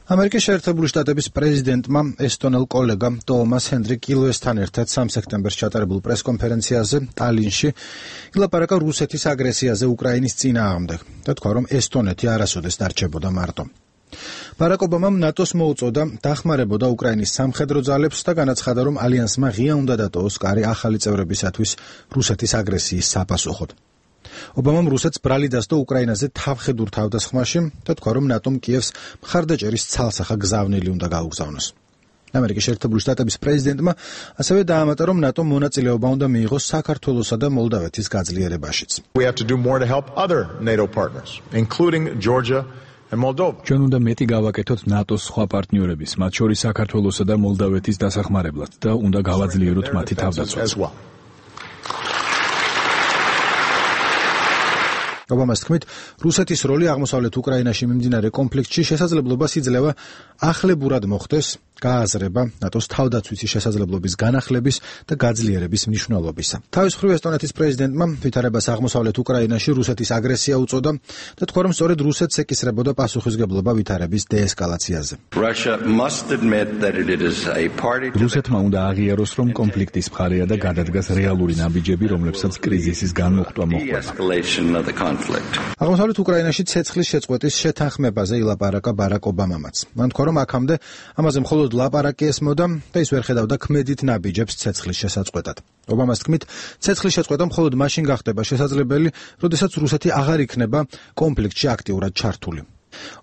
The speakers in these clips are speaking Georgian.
ამერიკის შეერთებული შტატების პრეზიდენტმა ესტონელ კოლეგამ ტომას ჰენდრი კილოესთან ერთად 3 სექტემბერს ჩატარებულ პრესკონფერენციაზე ტალინში ილაპარაკა რუსეთის აგრესიაზე უკრაინის წინააღმდეგ და თქვა, რომ ესტონეთი არასოდეს დარჩებოდა მარტო. ბარაკ ობამამ ნატოს მოუწოდა დახმარებოდა უკრაინის სამხედრო ძალებს და განაცხადა, რომ ალიანსმა ღია უნდა დატოვოს კარი ახალი წევრებისათვის რუსეთის აგრესიის საპასუხოდ. ობამამ რუსეთს ბრალი დასდო უკრაინაზე თავხედურ თავდასხმაში და თქვა, რომ ნატომ კიევს მხარდაჭერის ცალსახა გზავნილი უნდა გაუგზავნოს. ამერიკის შეერთებული შტატების პრეზიდენტმა ასევე დაამატა, რომ ნატომ მონაწილეობა უნდა მიიღოს საქართველოსა და მოლდავეთის გაძლიერებაშიც. We have to do more to help other NATO partners, including Georgia and Moldova. ჩვენ უნდა მეტი გავაკეთოთ ნატოს სხვა პარტნიორების, მათ შორის საქართველოსა და მოლდავეთის დასახმარებლად და უნდა გავაძლიეროთ მათი თავდაცვაც. ობამას თქმით, რუსეთის როლი აღმოსავლეთ უკრაინაში მიმდინარე კონფლიქტში შესაძლებლობას იძლევა ახლებურად მოხდეს გააზრება ნატოს თავდაცვითი შესაძლებლობის განახლების და გაძლიერების მნიშვნელობისა. თავის მხრივ ესტონეთის პრეზიდენტმა ვითარებას აღმოსავლეთ უკრაინაში რუსეთის აგრესია უწოდა და თქვა, რომ სწორედ რუსეთს ეკისრებოდა პასუხისმგებლობა ვითარების დეესკალაციაზე. რუსეთმა უნდა აღიაროს, რომ კონფლიქტის მხარეა და გადადგას რეალური ნაბიჯები, რომლებსაც კრიზისის განმოხტვა მოჰყვება. აღმოსავლეთ უკრაინაში ცეცხლის შეწყვეტის შეთანხმებაზე ილაპარაკა ბარაკ ობამამაც. მან თქვა, რომ აქამდე ამაზე მხოლოდ ლაპარაკი ესმოდა და ის ვერ ხედავდა ქმედით ნაბიჯებს ცეცხლის შესაწყვეტად. ობამას თქმით, ცეცხლის შეწყვეტა მხოლოდ მაშინ გახდება შესაძლებელი, როდესაც რუსეთი აღარ იქნება კონფლიქტში აქტიურად ჩართული.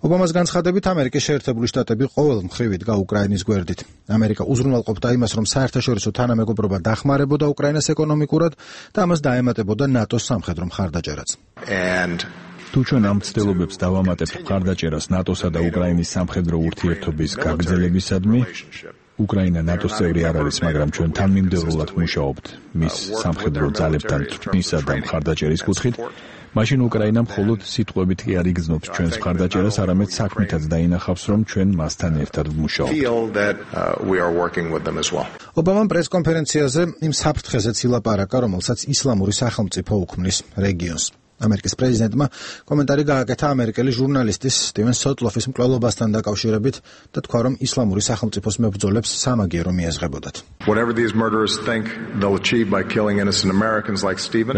ობამას განცხადებით, ამერიკის შეერთებული შტატები ყოველ მხრივ იდგა უკრაინის გვერდით. ამერიკა უზრუნველყოფდა იმას, რომ საერთაშორისო თანამეგობრობა დახმარებოდა უკრაინას ეკონომიკურად და ამას დაემატებოდა ნატოს სამხედრო მხარდაჭერაც. თუ ჩვენ ამ ცდილობებს დავამატებთ მხარდაჭერას ნატოსა და უკრაინის სამხედრო ურთიერთობის გაგრძელებისადმი, უკრაინა ნატოს წევრი არ არის, მაგრამ ჩვენ თანმიმდევრულად მუშაობთ მის სამხედრო ძალებთან თვრთნისა და მხარდაჭერის კუთხით, მაშინ უკრაინა მხოლოდ სიტყვებით კი არ იგრძნობს ჩვენს მხარდაჭერას, არამედ საქმითაც დაინახავს, რომ ჩვენ მასთან ერთად ვმუშაობთ. ობამამ პრესკონფერენციაზე იმ საფრთხეზეც ილაპარაკა, რომელსაც ისლამური სახელმწიფო უქმნის რეგიონს. ამერიკის პრეზიდენტმა კომენტარი გააკეთა ამერიკელი ჟურნალისტის სტივენ სოტლოფის მკვლელობასთან დაკავშირებით და თქვა, რომ ისლამური სახელმწიფოს მებრძოლებს სამაგიერო მიეზღებოდათ.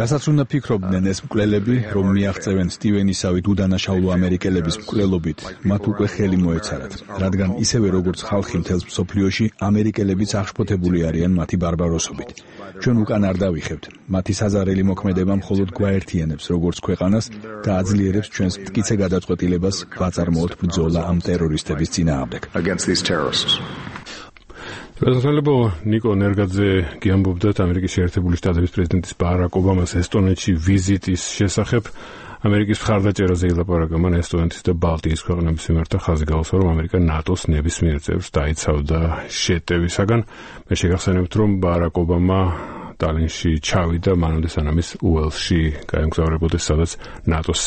რასაც უნდა ფიქრობდნენ ეს მკვლელები, რომ მიაღწევენ სტივენისავით უდანაშაულო ამერიკელების მკვლელობით, მათ უკვე ხელი მოეცარათ, რადგან ისევე როგორც ხალხი მთელს მსოფლიოში, ამერიკელებიც აღშფოთებული არიან მათი ბარბაროსობით. ჩვენ უკან არ დავიხებთ, მათი საზარელი მოქმედება მხოლოდ გვაერთიანებს როგორც ქვეყანას და აძლიერებს ჩვენს მტკიცე გადაწყვეტილებას ვაწარმოოთ ბრძოლა ამ ტერორისტების წინააღმდეგ. Prezident Niko Nergadze გიამბობდათ ამერიკის შეერთებული შტატების პრეზიდენტის ბარაკ ობამას ესტონეთში ვიზიტის შესახებ. ამერიკის მხარდაჭერაზე ილაპარაკა მან ესტონეთის და ბალტიის ქვეყნების მიმართ და ხაზი გაუსვა, რომ ამერიკა ნატოს ნებისმიერ წევრს დაიცავდა შეტევისაგან. მე შეგახსენებთ, რომ ბარაკ ობამა ტალინში ჩავიდა მანამდე სანამ ის უელსში გაემგზავრებოდეს, სადაც ნატოს